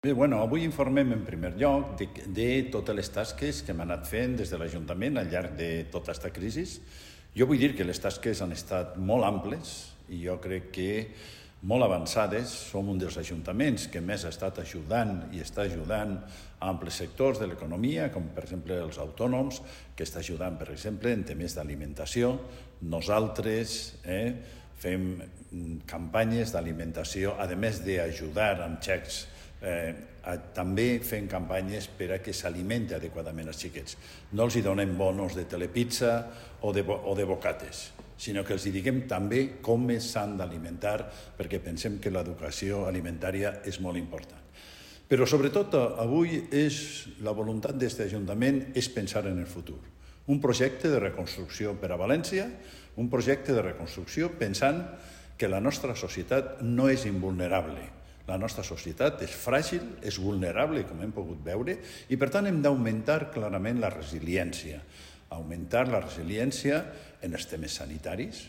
Bé, avui informem en primer lloc de totes les tasques que hem anat fent des de l'Ajuntament al llarg de tota aquesta crisi. Jo vull dir que les tasques han estat molt amples i jo crec que molt avançades. Som un dels ajuntaments que més ha estat ajudant i està ajudant a amples sectors de l'economia, com per exemple els autònoms, que està ajudant, per exemple, en temes d'alimentació. Nosaltres fem campanyes d'alimentació, a més d'ajudar amb xecs, també fem campanyes per a que s'alimenti adequadament els xiquets. No els donem bonos de telepizza o de bocates, sinó que els diguem també com s'han d'alimentar, perquè pensem que l'educació alimentària és molt important. Però sobretot avui la voluntat d'aquest Ajuntament és pensar en el futur. Un projecte de reconstrucció per a València, un projecte de reconstrucció pensant que la nostra societat no és invulnerable. La nostra societat és fràgil, és vulnerable, com hem pogut veure, i per tant hem d'augmentar clarament la resiliència. Augmentar la resiliència en els temes sanitaris.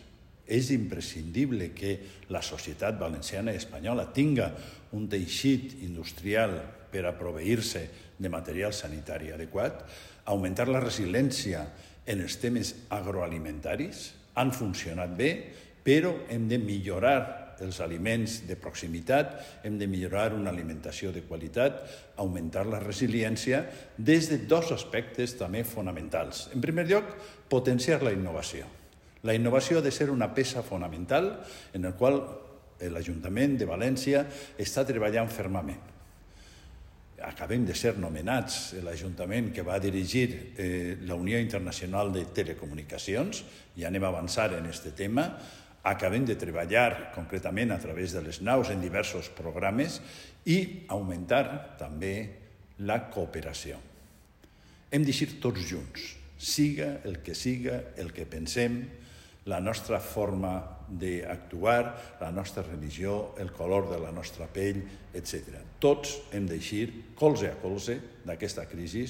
És imprescindible que la societat valenciana i espanyola tinga un teixit industrial per a proveir-se de material sanitari adequat. Augmentar la resiliència en els temes agroalimentaris. Han funcionat bé, però hem de millorar els aliments de proximitat, hem de millorar una alimentació de qualitat, augmentar la resiliència des de dos aspectes també fonamentals. En primer lloc, potenciar la innovació. La innovació ha de ser una peça fonamental en la qual l'Ajuntament de València està treballant fermament. Acabem de ser nomenats l'Ajuntament que va dirigir la Unió Internacional de Telecomunicacions, i anem a avançar en aquest tema. Acabem de treballar concretament a través de les naus en diversos programes i augmentar també la cooperació. Hem d'eixir tots junts, siga el que pensem, la nostra forma d'actuar, la nostra religió, el color de la nostra pell, etc. Tots hem d'eixir colze a colze d'aquesta crisi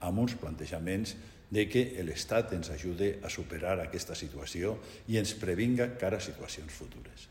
amb uns plantejaments de que l'Estat ens ajude a superar aquesta situació i ens previnga cara a situacions futures.